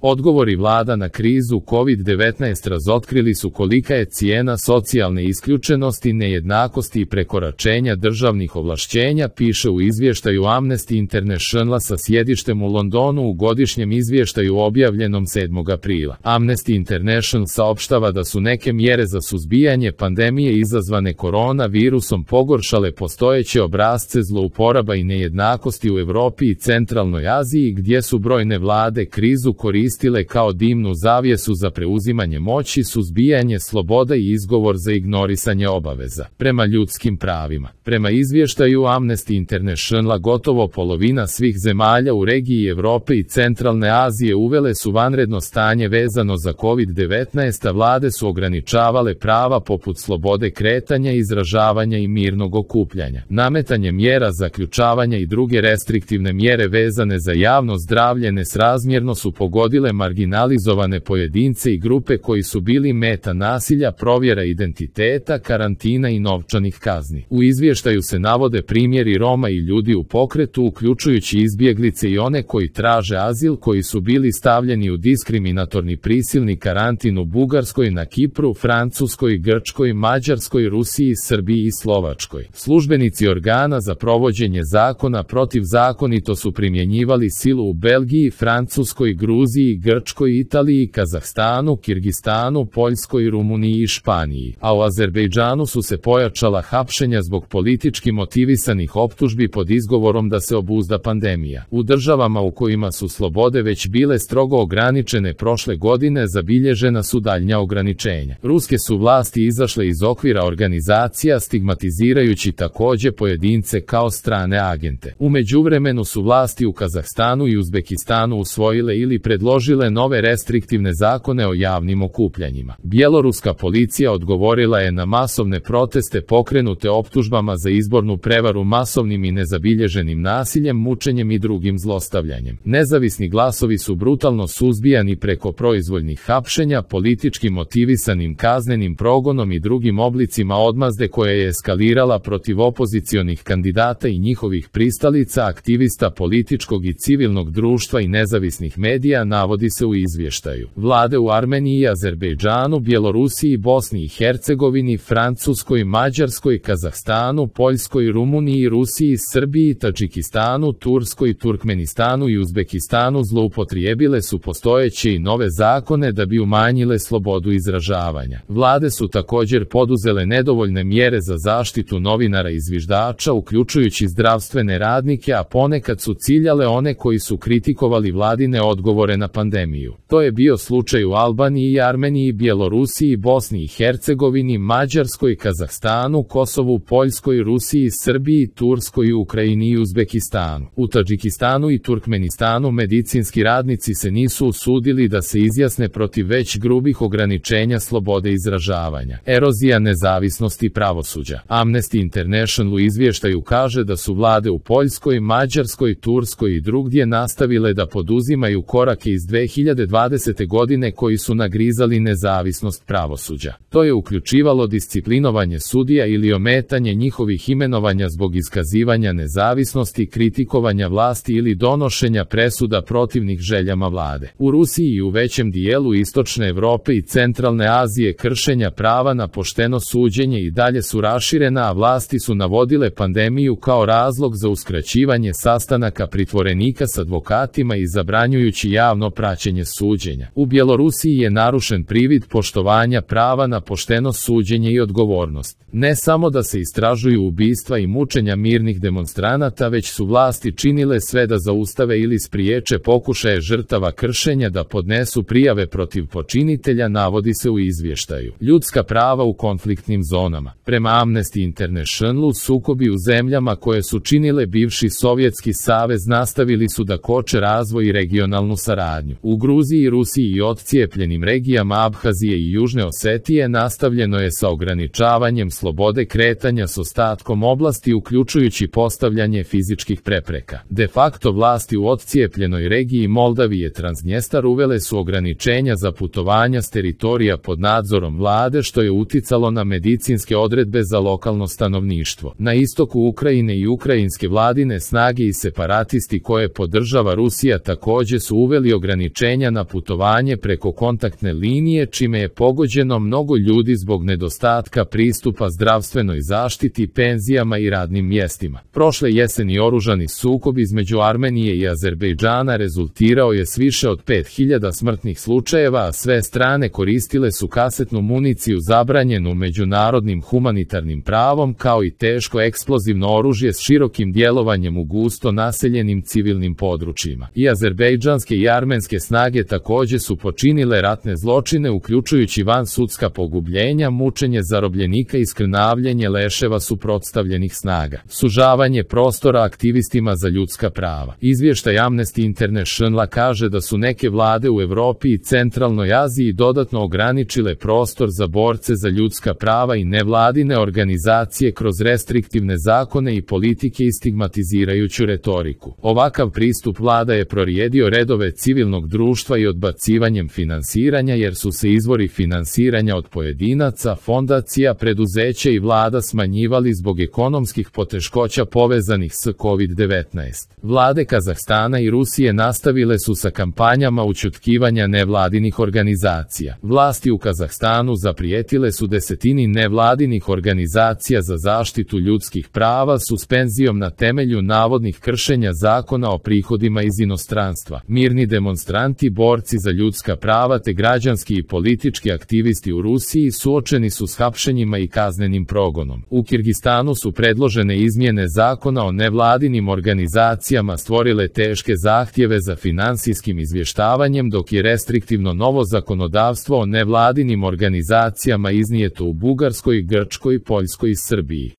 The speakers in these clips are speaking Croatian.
Odgovori vlada na krizu COVID-19 razotkrili su kolika je cijena socijalne isključenosti, nejednakosti i prekoračenja državnih ovlašćenja, piše u izvještaju Amnesty Internationala sa sjedištem u Londonu u godišnjem izvještaju objavljenom 7. aprila. Amnesty International saopštava da su neke mjere za suzbijanje pandemije izazvane koronavirusom pogoršale postojeće obrasce zlouporaba i nejednakosti u Europi i Centralnoj Aziji, gdje su brojne vlade krizu koristile kao dimnu zavjesu za preuzimanje moći, suzbijanje sloboda i izgovor za ignorisanje obaveza prema ljudskim pravima. Prema izvještaju Amnesty Internationala, gotovo polovina svih zemalja u regiji Europe i Centralne Azije uvele su vanredno stanje vezano za COVID-19, a vlade su ograničavale prava poput slobode kretanja, izražavanja i mirnog okupljanja. Nametanje mjera zaključavanja i druge restriktivne mjere vezane za javno zdravlje nesrazmjerno su pogodile marginalizovane pojedince i grupe koji su bili meta nasilja, provjera identiteta, karantina i novčanih kazni. U izvještaju se navode primjeri Roma i ljudi u pokretu, uključujući izbjeglice i one koji traže azil, koji su bili stavljeni u diskriminatorni prisilni karantin u Bugarskoj, na Kipru, Francuskoj, Grčkoj, Mađarskoj, Rusiji, Srbiji i Slovačkoj. Službenici organa za provođenje zakona protivzakonito su primjenjivali silu u Belgiji, Francuskoj, Gruziji, Grčkoj, Italiji, Kazahstanu, Kirgistanu, Poljskoj, Rumuniji i Španiji, a u Azerbejdžanu su se pojačala hapšenja zbog politički motivisanih optužbi pod izgovorom da se obuzda pandemija. U državama u kojima su slobode već bile strogo ograničene prošle godine zabilježena su daljnja ograničenja. Ruske su vlasti izašle iz okvira organizacija, stigmatizirajući također pojedince kao strane agente. U međuvremenu su vlasti u Kazahstanu i Uzbekistanu usvojile ili predložile nove restriktivne zakone o javnim okupljanjima. Bjeloruska policija odgovorila je na masovne proteste pokrenute optužbama za izbornu prevaru masovnim i nezabilježenim nasiljem, mučenjem i drugim zlostavljanjem. Nezavisni glasovi su brutalno suzbijani preko proizvoljnih hapšenja, politički motivisanim kaznenim progonom i drugim oblicima odmazde koja je eskalirala protiv opozicionih kandidata i njihovih pristalica, aktivista političkog i civilnog društva i nezavisnih medija, navodi se u izvještaju. Vlade u Armeniji, Azerbejdžanu, Bjelorusiji, Bosni i Hercegovini, Francuskoj, Mađarskoj, Kazahstanu, Poljskoj, Rumuniji, Rusiji, Srbiji, Tadžikistanu, Turskoj, Turkmenistanu i Uzbekistanu zloupotrijebile su postojeće i nove zakone da bi umanjile slobodu izražavanja. Vlade su također poduzele nedovoljne mjere za zaštitu novinara i zviždača, uključujući zdravstvene radnike, a ponekad su ciljale one koji su kritikovali vladine odgovore na pandemiju. To je bio slučaj u Albaniji, Armeniji, Bjelorusiji, Bosni i Hercegovini, Mađarskoj, Kazahstanu, Kosovu, Poljskoj, Rusiji, Srbiji, Turskoj, Ukrajini i Uzbekistanu. U Tadžikistanu i Turkmenistanu medicinski radnici se nisu usudili da se izjasne protiv već grubih ograničenja slobode izražavanja. Erozija nezavisnosti pravosuđa. Amnesty International u izvještaju kaže da su vlade u Poljskoj, Mađarskoj, Turskoj i drugdje nastavile da poduzimaju korake iz 2020. godine koji su nagrizali nezavisnost pravosuđa. To je uključivalo disciplinovanje sudija ili ometanje njihovih imenovanja zbog iskazivanja nezavisnosti, kritikovanja vlasti ili donošenja presuda protivnih željama vlade. U Rusiji i u većem dijelu istočne Europe i centralne Azije kršenja prava na pošteno suđenje i dalje su raširena, a vlasti su navodile pandemiju kao razlog za uskraćivanje sastanaka pritvorenika s advokatima i zabranjujući javno praćenje suđenja. U Bjelorusiji je narušen privid poštovanja prava na pošteno suđenje i odgovornost. Ne samo da se istražuju ubistva i mučenja mirnih demonstranata, već su vlasti činile sve da zaustave ili spriječe pokušaje žrtava kršenja da podnesu prijave protiv počinitelja, navodi se u izvještaju. Ljudska prava u konfliktnim zonama. Prema Amnesty Internationalu, sukobi u zemljama koje su činile bivši Sovjetski savez nastavili su da koče razvoj i regionalnu saradnju. U Gruziji, Rusiji i odcijepljenim regijama Abhazije i Južne Osetije nastavljeno je sa ograničavanjem slobode kretanja s ostatkom oblasti, uključujući postavljanje fizičkih prepreka. De facto vlasti u odcijepljenoj regiji Moldavije Transnjestar uvele su ograničenja za putovanja s teritorija pod nadzorom vlade, što je uticalo na medicinske odredbe za lokalno stanovništvo. Na istoku Ukrajine i ukrajinske vladine snage i separatisti koje podržava Rusija također su uveli ograničenja ograničenja na putovanje preko kontaktne linije, čime je pogođeno mnogo ljudi zbog nedostatka pristupa zdravstvenoj zaštiti, penzijama i radnim mjestima. Prošle jeseni oružani sukob između Armenije i Azerbejdžana rezultirao je s više od 5000 smrtnih slučajeva, a sve strane koristile su kasetnu municiju zabranjenu međunarodnim humanitarnim pravom, kao i teško eksplozivno oružje s širokim djelovanjem u gusto naseljenim civilnim područjima. I azerbejdžanske i armenske snage također su počinile ratne zločine, uključujući vansudska pogubljenja, mučenje zarobljenika i skrnavljenje leševa suprotstavljenih snaga, sužavanje prostora aktivistima za ljudska prava. Izvještaj Amnesty Internationala kaže da su neke vlade u Europi i Centralnoj Aziji dodatno ograničile prostor za borce za ljudska prava i nevladine organizacije kroz restriktivne zakone i politike i stigmatizirajuću retoriku. Ovakav pristup vlada je prorijedio redove civilnog društva i odbacivanjem finansiranja, jer su se izvori finansiranja od pojedinaca, fondacija, preduzeća i vlada smanjivali zbog ekonomskih poteškoća povezanih s COVID-19. Vlade Kazahstana i Rusije nastavile su sa kampanjama ućutkivanja nevladinih organizacija. Vlasti u Kazahstanu zaprijetile su desetini nevladinih organizacija za zaštitu ljudskih prava suspenzijom na temelju navodnih kršenja zakona o prihodima iz inostranstva. Mirni demonstranti, borci za ljudska prava te građanski i politički aktivisti u Rusiji suočeni su s hapšenjima i kaznenim progonom. U Kirgistanu su predložene izmjene zakona o nevladinim organizacijama stvorile teške zahtjeve za finansijskim izvještavanjem, dok je restriktivno novo zakonodavstvo o nevladinim organizacijama iznijeto u Bugarskoj, Grčkoj, Poljskoj i Srbiji.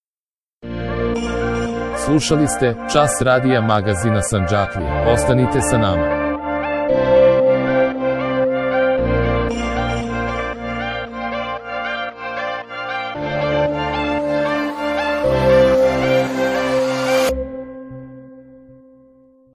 Slušali ste Čas radija magazina Sandžaklija. Ostanite sa nama.